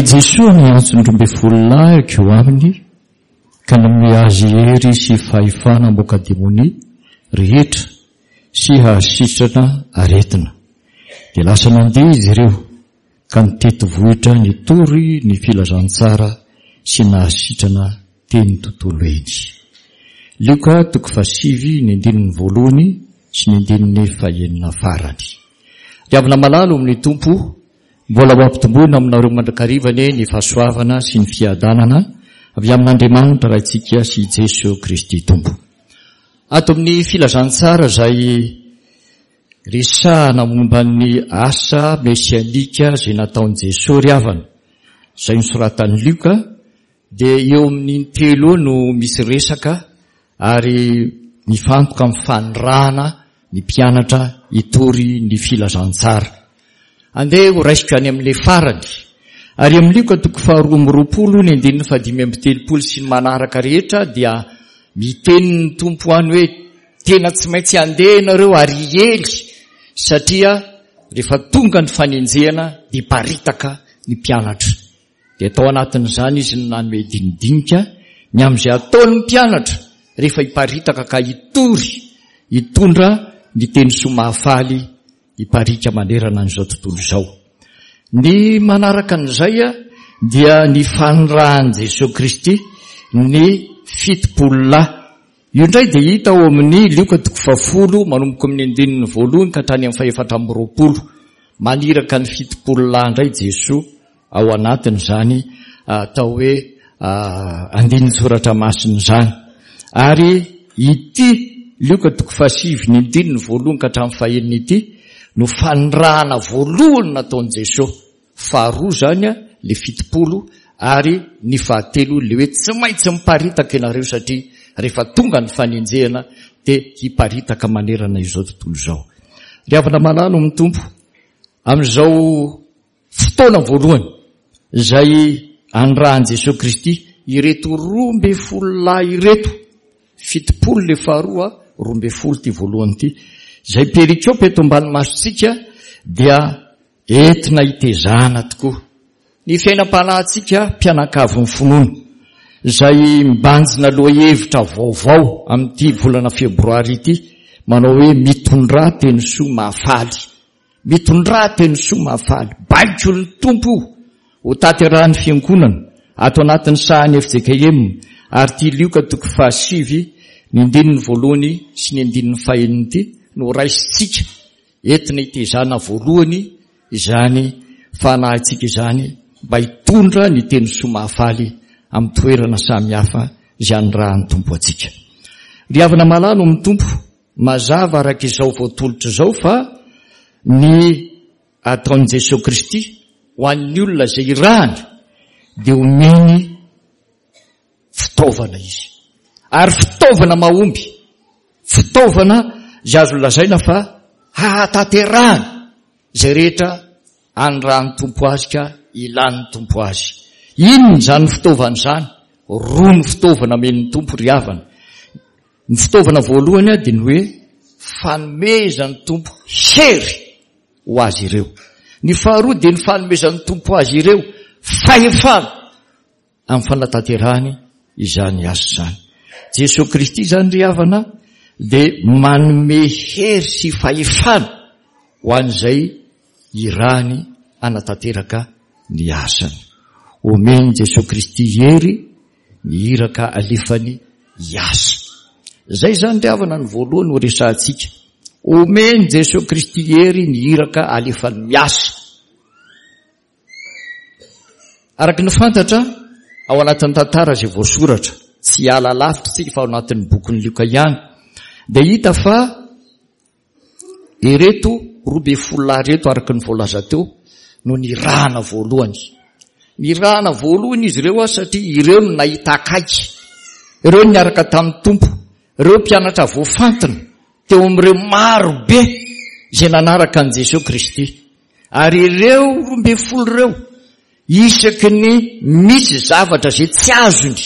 Jesoa niantso ny 12 lahy hankeo aminy ka nanome azy hery sy fahefana hamoaka demonia rehetra sy hahasitrana aretina. Dia lasa nandeha izy ireo ka nitety vohitra nitory ny filazantsara sy nahasitrana teny tontolo eny. Lioka toko fahasivy ny andininy voalohany sy ny andininy fahenina farany. Ry havana malala ao amin'ny Tompo, mbola ho ampitomboina aminareo mandrakariva anie ny fahasoavana sy ny fiadanana avy amin'Andriamanitra Raintsika sy Jeso Kristy Tompo. Ato amin'ny filazantsara izay resahana momba ny asa mesianika izay nataon'i Jesoa ry havana, izay nosoratan'i Lioka, dia eo amin'ny intelo eo no misy resaka ary mifantoka amin'ny fanirahana ny mpianatra hitory ny filazantsara. Andeha ho raisiko any amin'ilay farany. Ary amin'ny Lioka toko faharoa amby roapolo ny andininy fahadimy amby telopolo sy ny manaraka rehetra dia miteny ny Tompo any hoe tena tsy maintsy handeha ianareo ary hiely satria rehefa tonga ny fanenjehana dia hiparitaka ny mpianatra. Dia tao anatin'izany izy no nanome dinidinika ny amin'izay ataon'ny mpianatra rehefa hiparitaka ka hitory, hitondra ny teny soa mahafaly hiparika manerana an'izao tontolo izao. Ny manaraka an'izay dia ny fanirahan'i Jesoa Kristy ny 70 lahy. Io indray dia hita ao amin'ny Lioka toko fahafolo manomboka amin'ny andininy voalohany ka hatrany amin'ny fahefatra amby roapolo. Maniraka ny 70 lahy indray Jesoa ao anatin'izany atao hoe andinin-tsoratra masina izany. Ary ity Lioka toko fahasivy ny andininy voalohany ka hatramin'ny fahenina ity no fanirahana voalohany nataon'i Jesoa. Faharoa izany le 70 ary ny fahatelo le hoe tsy maintsy miparitaka ianareo satria rehefa tonga ny fanenjehana dia hiparitaka manerana izao tontolo izao. Ry havana malala ao amin'ny Tompo, amin'izao fotoana voalohany izay anirahan'i Jesoa Kristy ireto 12 lahy ireto, 70 le faharoa, 12 ity voalohany ity, izay perikopa eto ambany masontsika dia entina hitezana tokoa ny fiainam-panahintsika mpianakavin'ny finoana, izay mibanjina lohahevitra vaovao amin'ity volana febroary ity, manao hoe mitondrà teny soa mahafaly. Mitondrà teny soa mahafaly. Baikon'ny Tompo io ho tanterahin'ny Fiangonana ato anatin'ny sahan'ny fjkm ary ity Lioka toko fahasivy ny andininy voalohany sy ny andininy fahenina ity no raisintsika entina hitezana voalohany izany fanahintsika izany mba hitondra ny teny soa mahafaly amin'ny toerana samihafa izay anirahan'ny Tompo antsika. Ry havana malala ao amin'ny Tompo, Mazava araka izao voatolotra izao fa ny ataon'i Jesoa Kristy ho an'ny olona izay irahany dia omeny fitaovana izy. Ary fitaovana mahomby, fitaovana izay azo lazaina fa hahatanterahany izay rehetra anirahan'ny Tompo azy ka ilan'ny Tompo azy. Inona izany fitaovana izany? Roa ny fitaovana omen'ny Tompo ry havana. Ny fitaovana voalohany dia ny hoe fanomezan'ny Tompo hery ho azy ireo. Ny faharoa dia ny fanomezan'ny Tompo azy ireo fahefana amin'ny fanatanterahany izany asa izany. Jesoa Kristy izany ry havana dia manome hery sy fahefana ho an'izay irahany hanatanteraka ny asany. Omen'i Jesoa Kristy hery ny iraka alefany hiasa. Izay izany ry havana ny voalohany ho resahantsika. Omen'i Jesoa Kristy hery ny iraka alefany miasa. Araka ny fantatra, ao anatin'ny tantara izay voasoratra, tsy hiala lavitra isika fa ao anatin'ny bokin'i Lioka ihany, dia hita fa Ireto 12 lahy ireto araka ny voalaza teo no nirahana voalohany. Nirahana voalohany izy ireo satria ireo no nahita akaiky. Ireo no niaraka tamin'ny Tompo. Ireo mpianatra voafantina teo amin'ireo maro be izay nanaraka an'i Jesoa Kristy. Ary ireo 12 ireo isaky ny misy zavatra izay tsy azony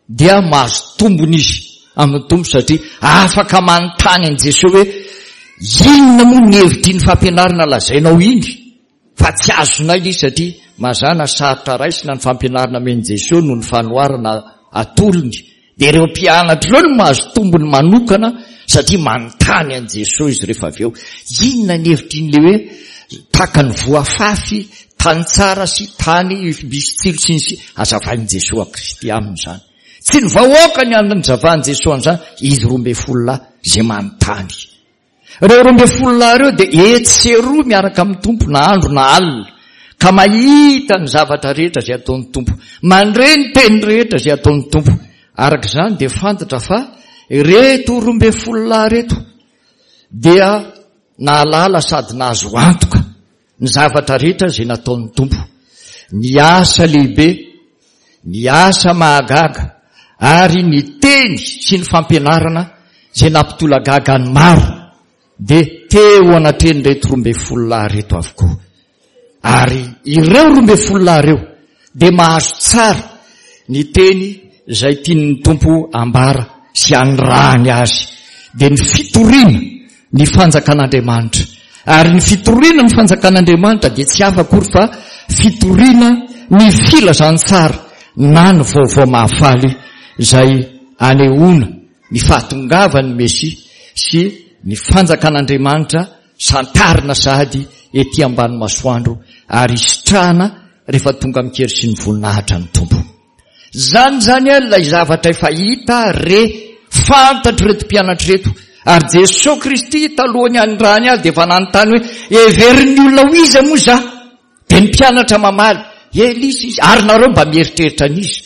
dia mahazo tombony izy amin'ny Tompo satria afaka manontany an'i Jesoa hoe inona moa ny hevitr'iny fampianarana lazainao iny fa tsy azonay ilay izy satria Mazàna sarotra raisina ny fampianarana amen'i Jesoa noho ny fanoharana atolony. Dia ireo mpianatra ireo no mahazo tombony manokana satria manontany an'i Jesoa izy rehefa avy eo. Inona ny hevitr'iny le hoe tahaka ny voa afafy, tany tsara sy tany misy tsilo sy ny sisa. Hazavain'i Jesoa Kristy aminy izany. Tsy ny vahoaka ny hanzavan'i Jesoa an'izany, izy 12 lahy izay manontany. Ireo 12 lahy ireo dia etsy sy eroa miaraka amin'ny Tompo na andro na alina, ka mahita ny zavatra rehetra izay ataon'ny Tompo, mandre ny teny rehetra izay ataon'ny Tompo. Araka izany dia fantatra fa ireto 12 lahy ireto dia nahalala sady nahazo antoka ny zavatra rehetra izay nataon'ny Tompo, ny asa lehibe, ny asa mahagaga ary ny teny sy ny fampianarana izay nampitolagaga ny maro dia teo anatrehan'ireto 12 lahy ireto avokoa. Ary ireo 12 lahy ireo dia mahazo tsara ny teny izay tian'ny Tompo ambara sy anirahany azy, dia ny fitoriana ny fanjakan'Andriamanitra. Ary ny fitoriana ny fanjakan'Andriamanitra dia tsy hafa akory fa fitoriana ny filazantsara na ny vaovao mahafaly izay anehoana ny fahatongavan'ny Mesia sy ny fanjakan'Andriamanitra santarina sahady ety ambany masoandro ary hisitrahana rehefa tonga amin-kery sy ny voninahitra ny Tompo. Izany izany ilay zavatra efa hita, re, fantatr'ireto mpianatra ireto. Ary Jesoa Kristy talohan'ny hanirahany azy dia efa nanontany hoe, heverin'ny olona ho iza moa izaho? Dia ny mpianatra mamaly, Elisa izy, ary nareo mba mieritreritra an'iza?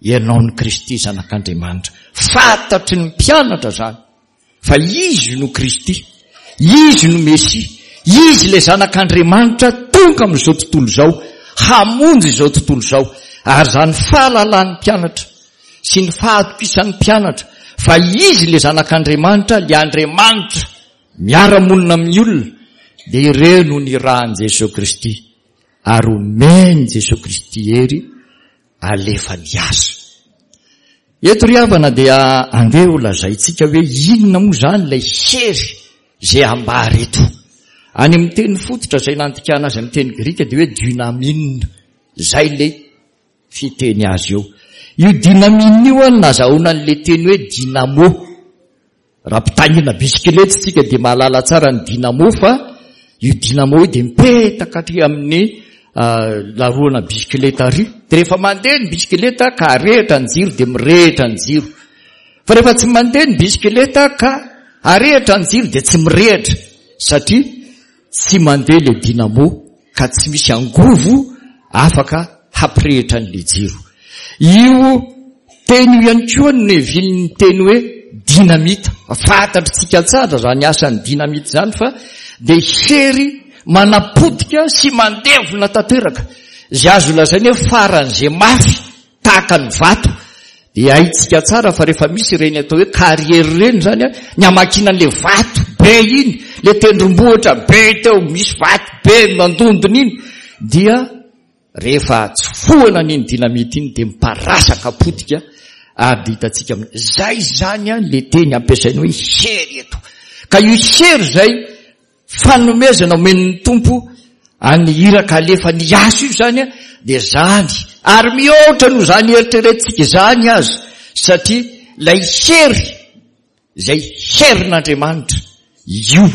Ianao ny Kristy Zanak'Andriamanitra. Fantatry ny mpianatra izany fa Izy no Kristy, Izy no Mesia, Izy ilay Zanak'Andriamanitra tonga amin'izao tontolo izao, hamonjy izao tontolo izao. Ary izany fahalalan'ny mpianatra sy ny fahatokisan'ny mpianatra fa Izy ilay Zanak'Andriamanitra, ilay Andriamanitra miara-monina amin'ny olona, dia ireo no nirahan'i Jesoa Kristy ary omen'i Jesoa Kristy hery alefa miasa. Eto ry havana dia andeha ho lazaintsika hoe inona moa izany ilay hery izay ambara eto. Any amin'ny teny fototra izay nandikana azy amin'ny teny grika dia hoe dynamine. Izay ilay fiteny azy eo. Io dynamine io no nazahoana an'ilay teny hoe dynamo. Raha mpitaingina bisikileta isika dia mahalala tsara ny dynamo fa io dynamo io dia mipetaka aty amin'ny laroana bisikileta ary. Dia rehefa mandeha ny bisikileta ka arehitra ny jiro dia mirehitra ny jiro. Fa rehefa tsy mandeha ny bisikileta ka arehitra ny jiro dia tsy mirehitra satria Tsy mandeha le dynamo ka tsy misy angovo afaka hampirehitra an'le jiro. Io teny io ihany koa no nevian'ny teny hoe dynamite. Fantatritsika tsara izany asan'ny dynamite izany fa dia hery manapotika sy mandevona tanteraka izay azo lazaina hoe faran'izay mafy tahaka ny vato dia haintsika tsara fa rehefa misy ireny atao hoe carrière ireny izany an, ny hamakiana an'ilay vato be iny, ilay tendrombohitra be teo misy vato be mandondona iny, dia rehefa tsofohana an'iny dynamite iny dia miparasaka potika ary dia hitantsika amin'ny izay izany an ilay teny ampiasaina hoe hery eto. Ka io hery izay Fanomezana omen'ny Tompo an'ny iraka alefany hiasa io izany dia izany, ary mihoatra noho izany eritreretintsika izany aza, satria ilay hery izay herin'Andriamanitra io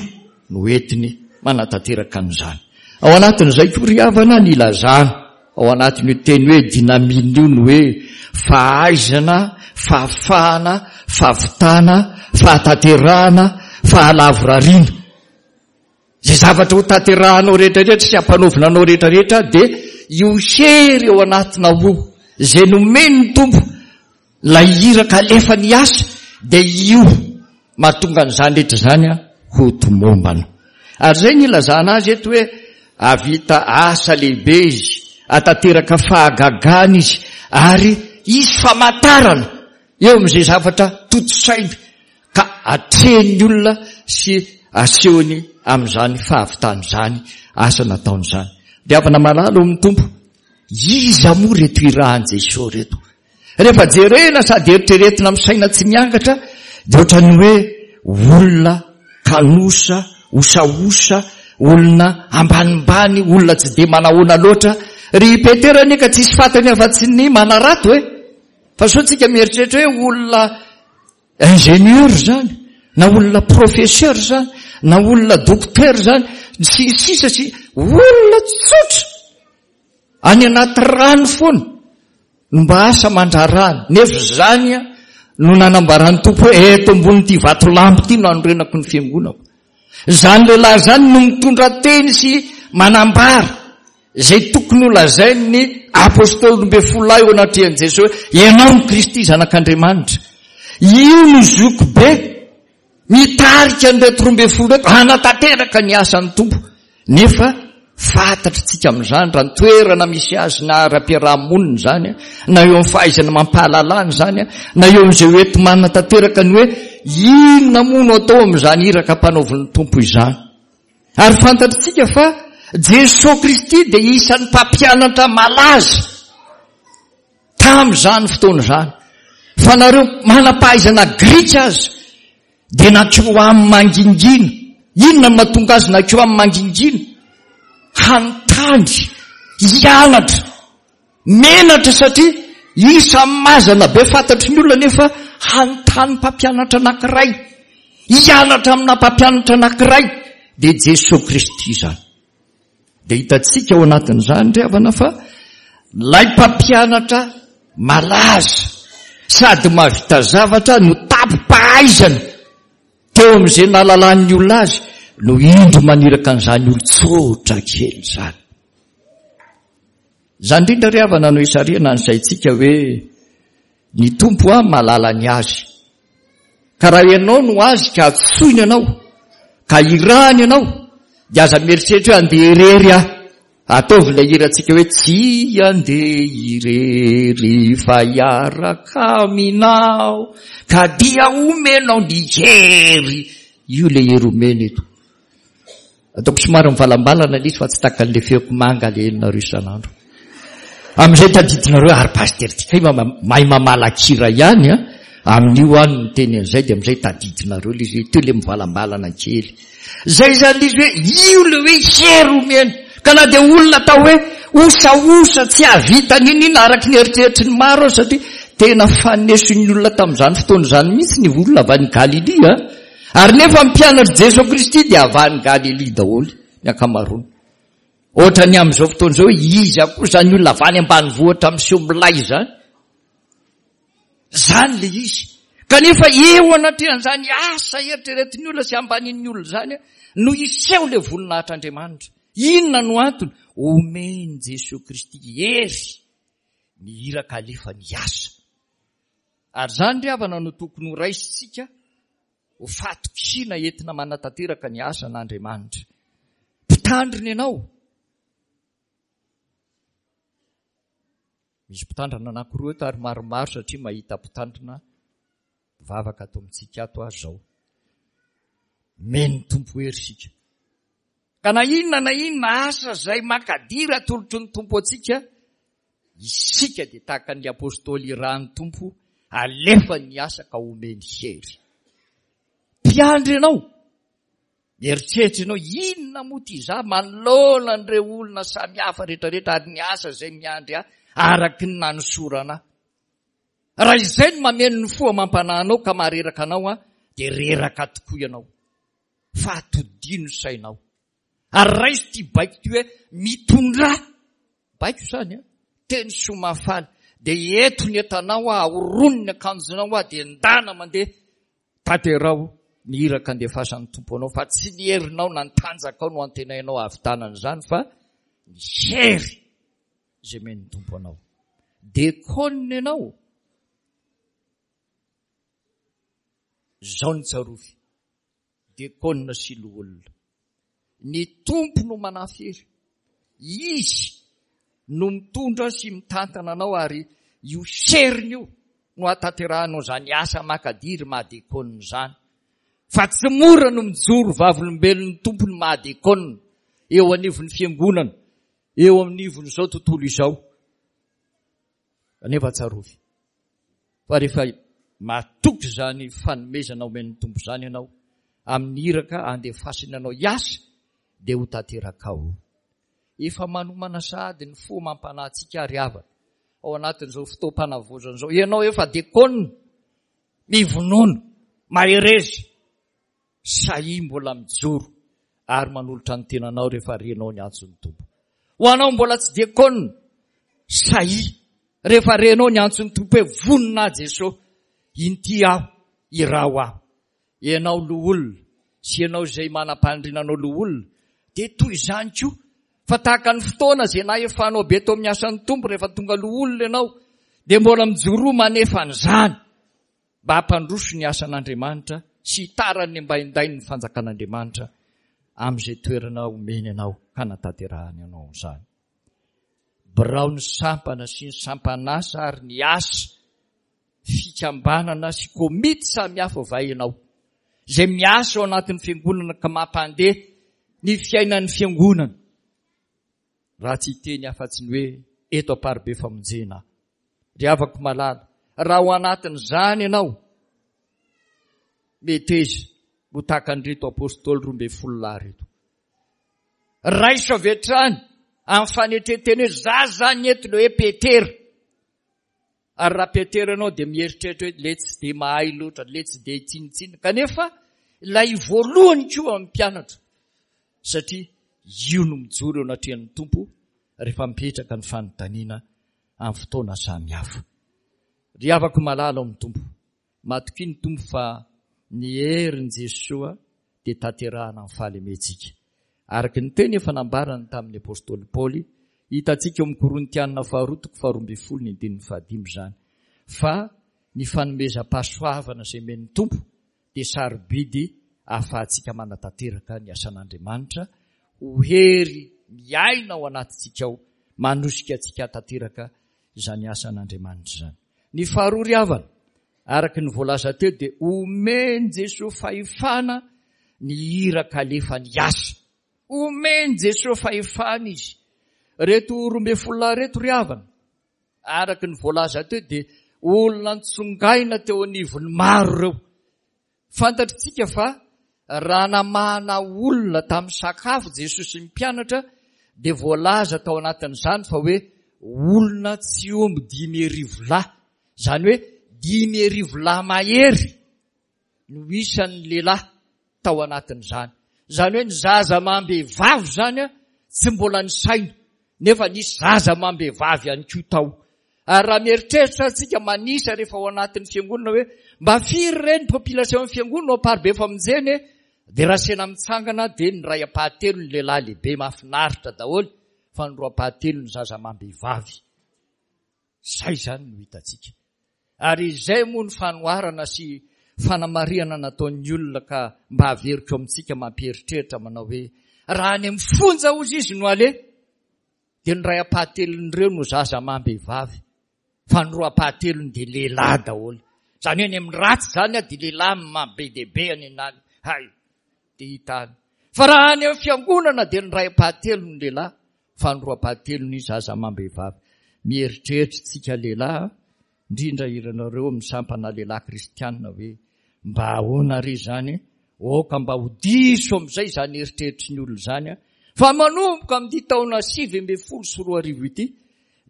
no entiny manatanteraka an'izany. Ao anatin'izay koa ry havana ny ilazana ao anatin'io teny hoe dynamine io ny hoe fahaizana, fahafahana, fahavitana, fahatanterahana, fahalavorariana. Izay zavatra ho tanterahanao rehetrarehetra sy hampanaovina anao rehetrarehetra dia io hery ao anatinao io, izay nomen'ny Tompo, ilay iraka alefany hiasa, dia io mahatonga an'izany rehetra izany ho tomombana. Ary izay ny ilazana azy eto hoe hahavita asa lehibe izy, hahatanteraka fahagagana izy, ary hisy famantarana eo amin'izay zavatra tontosainy ka atrehin'ny olona sy asehony amin'izany fahavitany izany asa nataony izany. Ry havana malala ao amin'ny Tompo, iza moa ireto irahan'i Jesoa ireto? Rehefa jerena sady eritreretina amin'ny saina tsy miangatra dia ohatran'ny hoe olona kanosa, osaosa, olona ambanimbany, olona tsy dia manahoana loatra. Ry Petera anie ka tsisy fantany afa-tsy ny manarato e! Fa sao tsika mieritreritra hoe olona ingénieur zany, na olona professeur zany, na olona docteur zany, sy ny sisa sy olona tsotra! Any anaty rano foana no mba asa aman-draharahany, nefa izany no nanambaran'ny Tompo hoe eto ambonin'ity vatolampy ity no hanorenako ny fiangonako. Izany lehilahy izany no mitondra teny sy manambara izay tokony ho lazain'ny apostoly 12 lahy eo anatrehan'i Jesosy hoe ianao no Kristy zanak'Andriamanitra. Io no zokibe Mitarika an'ireto 12 ireto hanatanteraka ny asan'ny Tompo. Nefa fantatritsika amin'izany raha ny toerana misy azy na ara-piaraha-monina izany, na eo amin'ny fahaizana mampahalalana izany, na eo amin'izay ho enti-manatanteraka ny hoe inona moa no atao amin'izany iraka ampanaovin'ny Tompo izany. Ary fantatritsika fa Jesoa Kristy dia isan'ny mpampianatra malaza Tamin'izany fotoana izany, fa nareo manam-pahaizana grika aza dia nankeo aminy mangingina. Inona no mahatonga azy nankeo aminy mangingina? Hanontany, hianatra. Menatra satria isan'ny mazana be fantatry ny olona nefa hanontany mpampianatra anankiray, hianatra amina mpampianatra anankiray, dia Jesoa Kristy izany. Dia hitantsika ao anatin'izany ry havana fa ilay mpampianatra malaza sady mahavita zavatra no tampom-pahaizana teo amin'izay nahalalan'ny olona azy no indro maniraka an'izany olon-tsotra kely izany. Izany indrindra ry havana no isarihana ny saintsika hoe ny Tompo a mahalala ny azy. Ka raha ianao no azy ka antsoiny ianao, ka irahany ianao, dia aza mieritreritra hoe andeha irery aho. Ataovy ilay hirantsika hoe tsy andeha irery fa hiaraka aminao ka dia omenao ny hery. Io ilay hery omena eto. Ataoko somary mivalambalana ilay izy fa tsy takan'ilay feoko manga ilay henonareo isan'andro. Amin'izay tadidinareo ary pasitera ty kay mahay mamalakira ihany a. Amin'io aho no miteny an'izay dia amin'izay tadidinareo ilay izy hoe teo ilay mivalambalana kely. Izay izany ilay izy hoe io ilay hoe hery omena. Ka na dia olona atao hoe osaosa tsy hahavita n'inon'inona araka ny eritreritry ny maro aza satria tena faneson'ny olona tamin'izany fotoana izany mihitsy ny olona avy any Galilia. Ary nefa ny mpianatr'i Jesoa Kristy dia avy any Galilia daholo ny ankamaroany. Ohatran'ny amin'izao fotoana izao hoe iza koa izany olona avy any ambanivohitra miseho milay izany. Izany ilay izy. Kanefa eo anatrehan'izany asa eritreretin'ny olona sy ambanin'ny olona izany no hiseho ilay voninahitr'Andriamanitra. Inona no antony? Omen'i Jesoa Kristy hery ny iraka alefany hiasa. Ary izany ry havana no tokony ho raisintsika ho fahatokiana entina manatanteraka ny asan'Andriamanitra. Mpitandrina ianao. Misy mpitandrina anankiroa eto ary maromaro satria mahita mpitandrina mpivavaka ato amintsika ato aho izao. Omen'ny Tompo hery isika. Ka na inona na inona asa izay makadiry atolotry ny Tompo antsika, Isika dia tahaka ny Apostoly irahan'ny Tompo, alefany ny asa ka omeny hery. Mpiandry ianao, mieritreritra ianao, inona moa ity izaho manoloana an'ireo olona samihafa rehetrarehetra ary ny asa izay miandry ahy araka ny nanosorana ahy. Raha izay no mameno ny fo amam-panahy anao ka mahareraka anao aho, dia reraka tokoa ianao. Fa atodiho ny sainao. Ary raiso ity baiko ity hoe mitondrà. Baiko izany an! Teny soa mahafaly. Dia eto ny entanao aho, ahorony ny akanjonao aho, dia ndana mandeha. Tanteraho ny iraka andefasan'ny Tompo anao, fa tsy ny herinao na ny tanjakao no antenainao hahavitana an'izany, fa ny hery izay omen'ny Tompo anao. Dekônina ianao. Izao no tsarovy. Diakona sy loholona. Ny Tompo no manafy hery. Izy no mitondra sy mitantana anao ary io heriny io no hahatanterahanao izany asa makadiry maha diakona izany. Fa tsy mora no mijoro vavolombelon'ny Tompo ny maha diakona eo anivon'ny fiangonana, eo anivon'izao tontolo izao. Kanefa tsarovy fa rehefa matoky izany fanomezana omen'ny Tompo izany ianao amin'ny iraka andefasiny anao hiasa dia ho tanterakao. Efa manomana sahady ny fo amam-panahintsika ry havana ao anatin'izao fotoam-panavaozana izao. Ianao efa dekona, mivonona, mahereza, sahia mbola mijoro ary manolotra ny tenanao rehefa renao ny antson'ny Tompo. Ho anao mbola tsy dekona, sahia rehefa renao ny antson'ny Tompo hoe vonona aho Jesoa, inty aho, iraho aho. Ianao loholona sy ianao izay manam-paniriana anao loholona dia toy izany koa fa tahaka ny fotoana izay nahefanao be teo amin'ny asan'ny Tompo rehefa tonga loholona ianao dia mbola mijoroa manefa an'izany mba hampandroso ny asan'Andriamanitra sy hitaran'ny ambaindain'ny fanjakan'Andriamanitra amin'izay toerana omeny anao hanatanterahany anao izany. Biraon'ny sampana sy ny sampan'asa ary ny asa fikambanana sy komity samihafa va ianao izay miasa ao anatin'ny fiangonana ka mampandeha ny fiainan'ny fiangonana raha tsy hiteny afa-tsy ny hoe eto Amparibe Famonjena aho. Ry havako malala, raha ao anatin'izany ianao, meteza ho tahaka an'ireto apostoly 12 lahy ireto. Raiso avy hatrany amin'ny fanetren-tena hoe za zany eto ilay hoe Petera. Ary raha Petera ianao dia mieritreritra hoe le tsy dia mahay loatra, le tsy dia tsinontsinona. Kanefa ilay voalohany koa amin'ny mpianatra satria io no mijoro eo anatrehan'ny Tompo rehefa mipetraka ny fanontaniana amin'ny fotoana samihafa. Ry havako malala ao amin'ny Tompo, matokia ny Tompo fa ny herin'i Jesoa dia tanterahana amin'ny fahalementsika. Araka ny teny efa nambarany tamin'ny apostoly Paoly, hitantsika ao amin'ny Korintianina faharoa toko faharoa ambin'ny folo ny andininy fahadimy izany, fa ny fanomezam-pahasoavana izay omen'ny Tompo dia sarobidy ahafahantsika manatanteraka ny asan'Andriamanitra ho hery miaina ao anatintsika ao, manosika antsika hahatanteraka izany asan'Andriamanitra izany. Ny faharoa ry havana, araka ny voalaza teo dia omen'i Jesoa fahefana ny iraka alefany hiasa. Omen'i Jesoa fahefana izy. Reto 12 lahy reto ry havana, araka ny voalaza teo dia olona ntsongaina teo anivon'ny maro ireo. Fantatritsika fa raha namahana olona tamin'ny sakafo Jesosy sy ny mpianatra dia voalaza tao anatin'izany fa hoe olona tsy omby 5000 lahy, izany hoe 5000 lahy mahery no isan'ny lehilahy tao anatin'izany. Izany hoe ny zaza amam-behivavy izany tsy mbola nisaina nefa nisy zaza amam-behivavy ihany koa tao. Ary raha mieritreritra isika manisa rehefa ao anatin'ny fiangonana hoe mba firy re ny population ny fiangonana ao Amparibe Famonjena e? Dia raha sena mitsangana dia ny iray ampahatelo ny lehilahy lehibe mahafinaritra daholo fa ny roa ampahatelo ny zaza amam-behivavy. Izay izany no hitantsika. Ary izay moa ny fanoharana sy fanamarihana nataon'ny olona ka mba averiko amintsika mampieritreritra manao hoe raha any amin'ny fonja hozy izy no aleha dia ny iray ampahatelon'ireo no zaza amam-behivavy fa ny roa ampahatelony dia lehilahy daholo. Izany hoe any amin'ny ratsy izany dia lehilahy maha-be dia be any anany. Hay, dia hita any. Fa raha any amin'ny fiangonana dia ny iray ampahatelony lehilahy fa ny roa ampahatelony zaza amam-behivavy. Mieritreritra isika lehilahy, indrindra ianareo amin'ny sampana lehilahy kristianina hoe mba ahoana re izany? Aoka mba ho diso amin'izay izany eritreritry ny olona izany fa manomboka amin'ity taona 2019 ity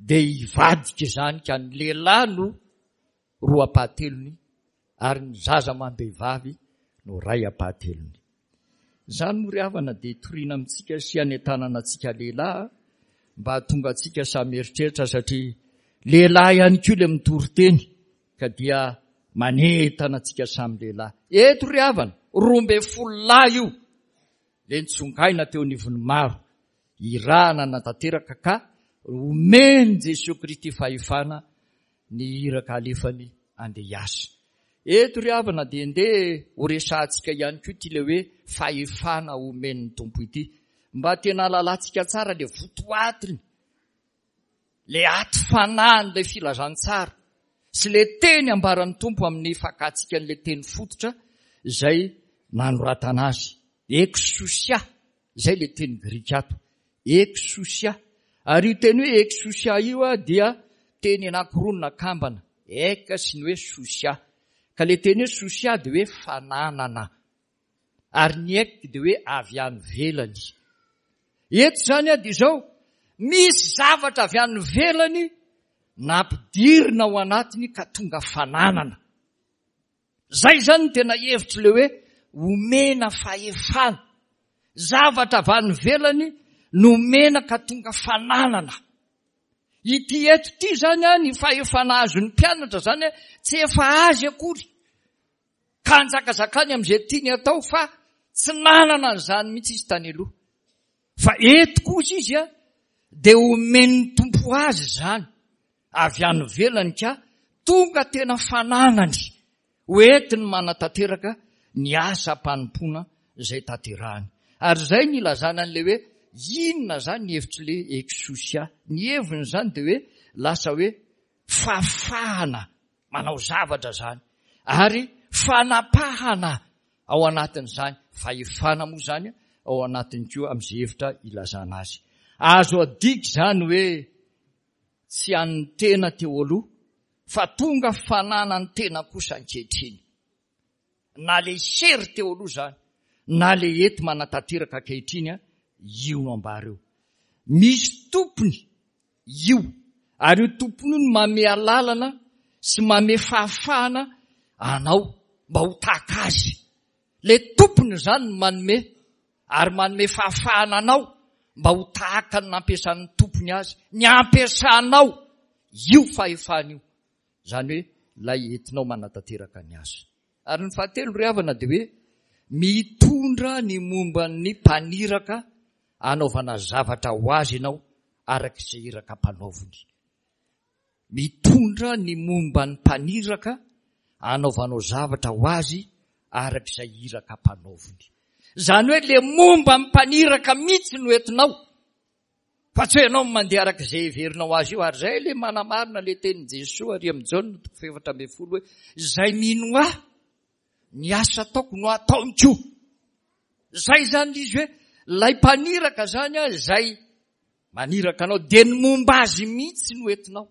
dia hivadika izany ka ny lehilahy no roa ampahatelony ary ny zaza amam-behivavy no ray ampahatelony. Izany moa ry havana dia toriana amintsika sy hanentanana antsika lehilahy mba hahatonga antsika samy eritreritra satria lehilahy ihany koa ilay mitory teny ka dia manentana antsika samy lehilahy. Eto ry havana, 12 lahy io ilay nitsongaina teo anivon'ny maro, irahana natanteraka ka omen'i Jesoa Kristy fahefana ny iraka alefany andeha hiasa. Eto ry havana dia ndeha ho resahantsika ihany koa ity ilay hoe fahefana omen'ny Tompo ity. Mba tena halalantsika tsara ilay votoatiny, ilay aty fanahin'ilay filazantsara sy ilay teny ambaran'ny Tompo amin'ny fakantsika an'ilay teny fototra izay nanoratana azy. Exousia, izay ilay teny grika ato. Exousia. Ary io teny hoe exousia io dia teny anankiroa nakambana, ek sy ny hoe sousia. Ka ilay teny hoe sousia dia hoe fananana. Ary ny ek dia hoe avy any ivelany. Eto izany dia izao, Misy zavatra avy any ivelany nampidirina ao anatiny ka tonga fananana. Zay zany no tena hevitry le hoe omena fahefana. Zavatra avy any ivelany nomena ka tonga fananana. Ity eto ity zany an, ny fahefana azon'ny mpianatra zany an, tsy efa azy akory. Ka anjakazakany amin'izay tiany atao fa tsy nanana an'izany mihitsy izy tany aloha. Fa eto kosa izy an, dia omen'ny Tompo azy izany avy any ivelany ka tonga tena fananany ho entiny manatanteraka ny asam-panompoana izay tanterahany. Ary izay no ilazana an'ilay hoe inona izany ny hevitr'ilay exousia. Ny heviny izany dia hoe lasa hoe fahafahana manao zavatra izany ary fanapahana ao anatin'izany, fahefana moa izany ao anatiny koa amin'izay hevitra ilazana azy. Azo adika izany hoe tsy an'ny tena teo aloha fa tonga fananan'ny tena kosa ankehitriny. Na le hery teo aloha izany na le ety manatanteraka ankehitriny io no ambara eo. Misy tompony io ary io tompony io no manome alalana sy manome fahafahana anao mba ho tahaka azy. Le tompony izany no manome ary manome fahafahana anao mba ho tahaka ny nampiasan'ny tompony azy, ny ampiasanao io fahefana io. Izany hoe ilay entinao manatanteraka ny asa. Ary ny fahatelo ry havana dia hoe mitondra ny momba ny mpaniraka anaovana zavatra ho azy ianao araka izay iraka ampanaoviny. Mitondra ny momba ny mpaniraka anaovanao zavatra ho azy araka izay iraka ampanaoviny. Izany hoe le momba ny mpaniraka mihitsy no entinao. Fa tsy hoe ianao no mandeha araka izay heverinao azy io. Ary izay ilay manamarina ilay tenin'i Jesoa ary amin'i Jaona toko faha-14 hoe izay mino ahy, ny asa ataoko no ataony koa. Izay izany ilay izy hoe ilay mpaniraka izany izay maniraka anao dia ny momba azy mihitsy no entinao.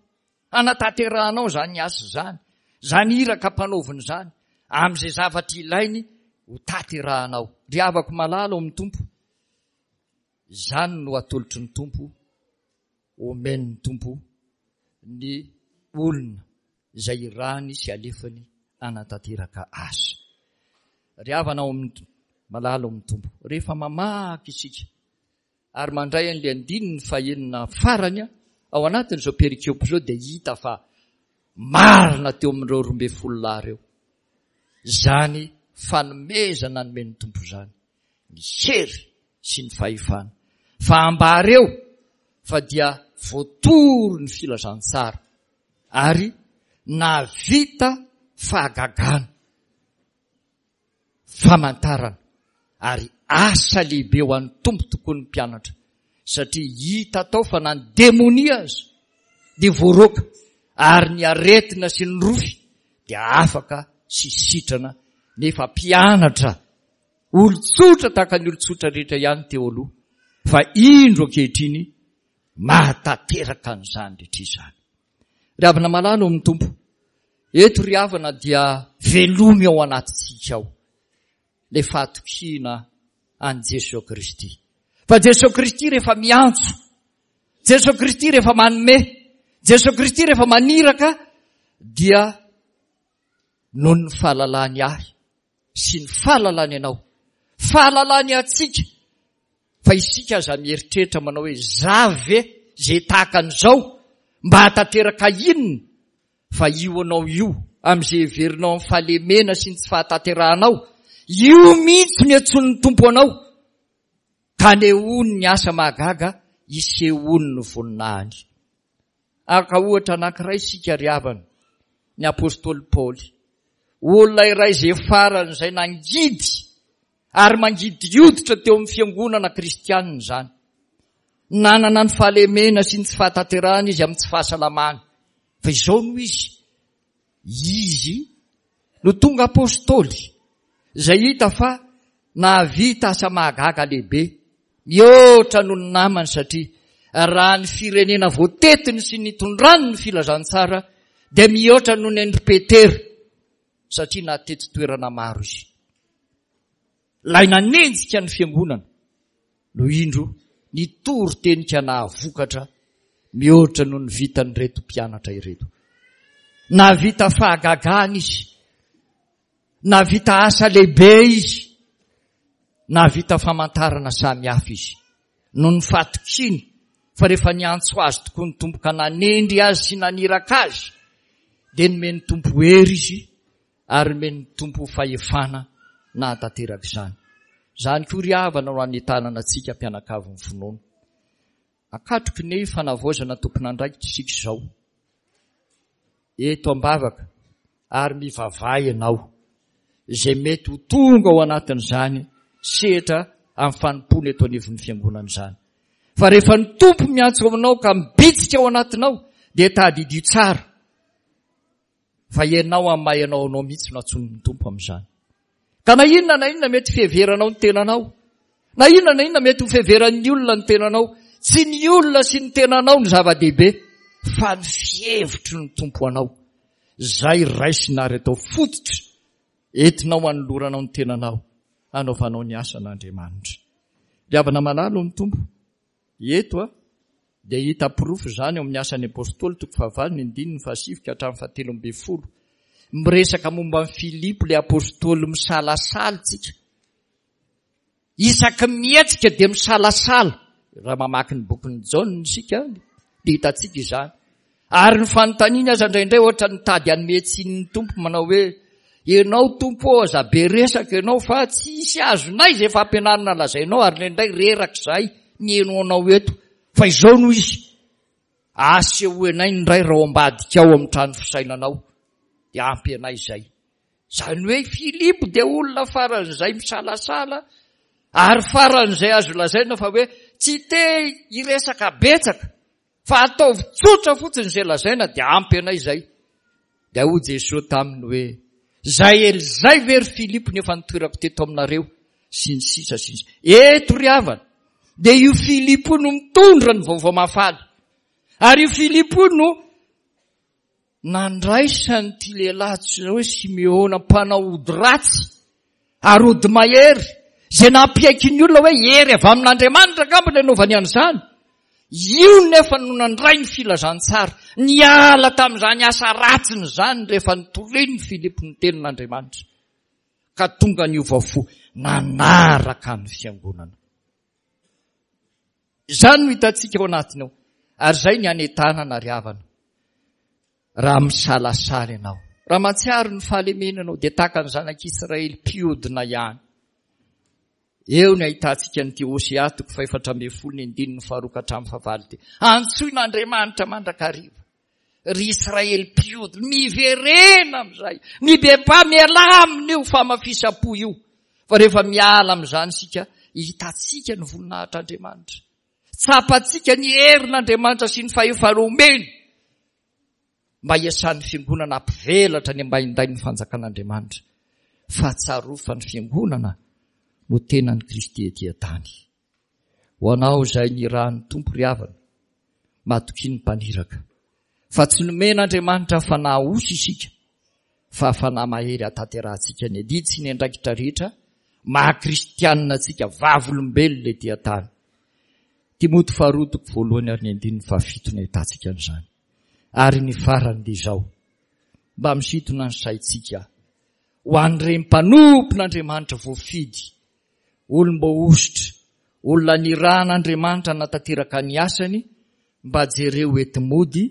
Hanatanterahanao izany asa izany, izany iraka ampanaoviny izany, amin'izay zavatra ilainy ho tanterahanao. Ry havako malala ao amin'ny Tompo, Izany no atolotry ny Tompo, omen'ny Tompo ny olona izay irahany sy alefany hanatanteraka asa. Ry havana ao amin'ny malala ao amin'ny Tompo, rehefa mamaky isika ary mandray an'ilay andininy fahenina farany ao anatin'izao perikopa izao dia hita fa marina teo amin'ireo 12 lahy ireo izany fanomezana nomen'ny Tompo izany. ny hery sy ny fahefana, fa ambara eo fa dia voatory ny filazantsara ary nahavita fahagagana, famantarana ary asa lehibe ho an'ny Tompo tokoa ny mpianatra satria hita tao fa na ny demonia aza dia voaroaka ary ny aretina sy ny rofy dia afaka sy sitrana nefa mpianatra Olon-tsotra tahaka ny olon-tsotra rehetra ihany teo aloha, fa indro ankehitriny mahatanteraka an'izany rehetra izany. Ry havana malala ao amin'ny Tompo, eto ry havana dia velomy ao anatintsika ao ilay fahatokiana an'i Jesoa Kristy. Fa Jesoa Kristy rehefa miantso, Jesoa Kristy rehefa manome, Jesoa Kristy rehefa maniraka dia noho ny fahalalany ahy sy ny fahalalany anao, fahalalany antsika, fa isika aza mieritreritra manao hoe za ve ze tahaka an'izao mba hahatanteraka inona fa io anao io amin'izay heverinao amin'ny fahalemena sy ny tsy fahatanterahanao, io mihitsy no iantsoan'ny Tompo anao ka anehoany ny asa mahagaga isehoany ny voninahiny. Haka ohatra anankiray isika ry havana, ny apostoly Paoly. Olona iray izay faran'izay nangidy ary mangidy hoditra teo amin'ny fiangonana kristianina izany. Nanana ny fahalemena sy ny tsy fahatanterahana izy amin'ny tsy fahasalamany. Fa izao no izy, izy no tonga apostoly izay hita fa nahavita asa mahagaga lehibe mihoatra noho ny namany satria raha ny firenena voatetiny sy nitondrany ny filazantsara dia mihoatra noho ny an-dry Petera satria nahatety toerana maro izy. Ilay nanenjika ny fiangonana no indro Nitory teny ka nahavokatra mihoatra noho ny vitan'ireto mpianatra ireto. Nahavita fahagagana izy. Nahavita asa lehibe izy. Nahavita famantarana samihafa izy. Noho ny fahatokiany fa rehefa niantso azy tokoa ny Tompo ka nanendry azy sy naniraka azy, dia nomen'ny Tompo hery izy ary nomen'ny Tompo fahefana nahatanteraka izany. Izany koa ry havana no hanentanana antsika mpianakavin'ny finoana. Akatroky ny fanavaozana tompon'andraikitra isika izao. Eto am-bavaka ary mivavaha ianao izay mety ho tonga ao anatin'izany sehatra amin'ny fanompoana eto anivon'ny fiangonana izany. Fa rehefa ny Tompo miantso aminao ka mibitsika ao anatinao dia tadidio tsara Fa ianao amin'ny maha ianao anao mihitsy no antsoin'ny Tompo amin'izany. Ka na inona na inona mety fiheveranao ny tenanao, na inona na inona mety ho fiheveran'ny olona ny tenanao, tsy ny olona sy ny tenanao no zava-dehibe, fa ny fihevitry ny Tompo anao. Izay raisina ary atao fototra entinao hanoloranao ny tenanao hanaovanao ny asan'Andriamanitra. Ry havana malala ao amin'ny Tompo, Eto dia hita porofo izany ao amin'ny Asan'ny Apostoly toko fahavalo ny andininy fahasivy ka hatramin'ny fahatelo ambin'ny folo. Miresaka momba an'i Filipo ilay apostoly misalasala isika. Isaky ny mihetsika dia misalasala. Raha mamaky ny bokin'i Jaona isika dia hitantsika izany. Ary ny fanontaniany aza indraindray ohatra nitady hanome tsiny ny Tompo manao hoe, Ianao Tompo ô, aza be resaka ianao fa tsy hisy azonay izay fampianarana lazainao ary indraindray reraka izahay miheno anao eto. Fa izao no izy, asehoy anay ny Ray raha ao ambadika ao amin'ny trano fisainanao, dia ampy anay izay. Izany hoe Filipo dia olona faran'izay misalasala ary faran'izay azo lazaina fa hoe tsy te hiresaka betsaka. Fa ataovy tsotra fotsiny izay lazaina dia ampy anay izay. Dia hoy Jesoa taminy hoe, Izay ela izay ve ry Filipo no efa nitoerako teto aminareo? Sy ny sisa sy ny sisa. Eto ry havana, dia io Filipo io no mitondra ny vaovao mahafaly. Ary io Filipo io no Nandraisan'ity lehilahy antsoina hoe Simeona mpanao ody ratsy ary ody mahery, izay nampiaiky ny olona hoe hery avy amin'Andriamanitra angamba ny anaovany an'izany. Io nefa no nandray ny filazantsara, niala tamin'izany asa ratsiny izany rehefa nitorian'i Filipo ny tenin'Andriamanitra, ka tonga niova fo nanaraka ny fiangonana. Izany no hitantsika ao anatiny ao. Ary izay ny hanentanana ry havana. Raha misalasala ianao, raha mahatsiaro ny fahalemena ianao, dia tahaka ny zanak'Israely mpiodina ihany. Eo ny ahitantsika an'ity Hosea toko fahefatra ambin'ny folo ny andininy faharoa ka hatramin'ny fahavalo ity. Antsoin'Andriamanitra mandrakariva. Ry Israely mpiodina, miverena amin'izay, mibebaha, mialà amin'io famafisam-po io. Fa rehefa miala amin'izany isika, hitantsika ny voninahitr'Andriamanitra. Tsapantsika ny herin'Andriamanitra sy ny fahefana omeny mba hiasan'ny fiangonana hampivelatra ny ambaindain'ny fanjakan'Andriamanitra. Fa tsarovy fa ny fiangonana no tenan'i Kristy ety an-tany. Ho anao izay nirahan'ny Tompo ry havana, matokia ny mpaniraka. Fa tsy nomen'Andriamanitra fanahy osa isika, fa fanahy mahery hahatanterahantsika ny adidy sy ny andraikitra rehetra maha kristianina antsika vavolombelona ety an-tany. Timoty faharoa toko voalohany ary ny andininy fahafito no ahitantsika an'izany. Ary ny farany dia izao, mba misintona ny saintsika ho an'ireny mpanompon'Andriamanitra voafidy Olom-boahosotra, olona nirahan'Andriamanitra hanatanteraka ny asany, mba jereo eto mody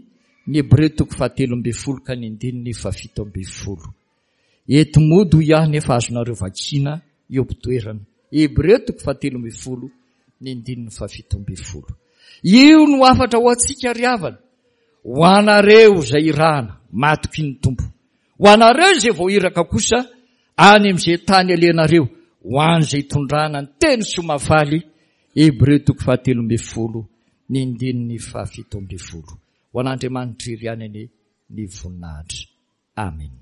ny Hebreo toko fahatelo ambin'ny folo ka ny andininy fahafito ambin'ny folo. Eto mody hoy aho nefa azonareo vakiana eo am-pitoerana. Hebreo toko fahatelo ambin'ny folo ny andininy fahafito ambin'ny folo. Io no hafatra ho antsika ry havana, ho anareo izay irahana, matoky ny Tompo. Ho anareo izay voahiraka kosa, any amin'izay tany alehanareo, ho an'izay itondrana ny teny soa mahafaly, Hebreo toko fahatelo ambin'ny folo, ny andininy fahafito ambin'ny folo. Ho an'Andriamanitra irery ihany anie ny voninahitra. Amena.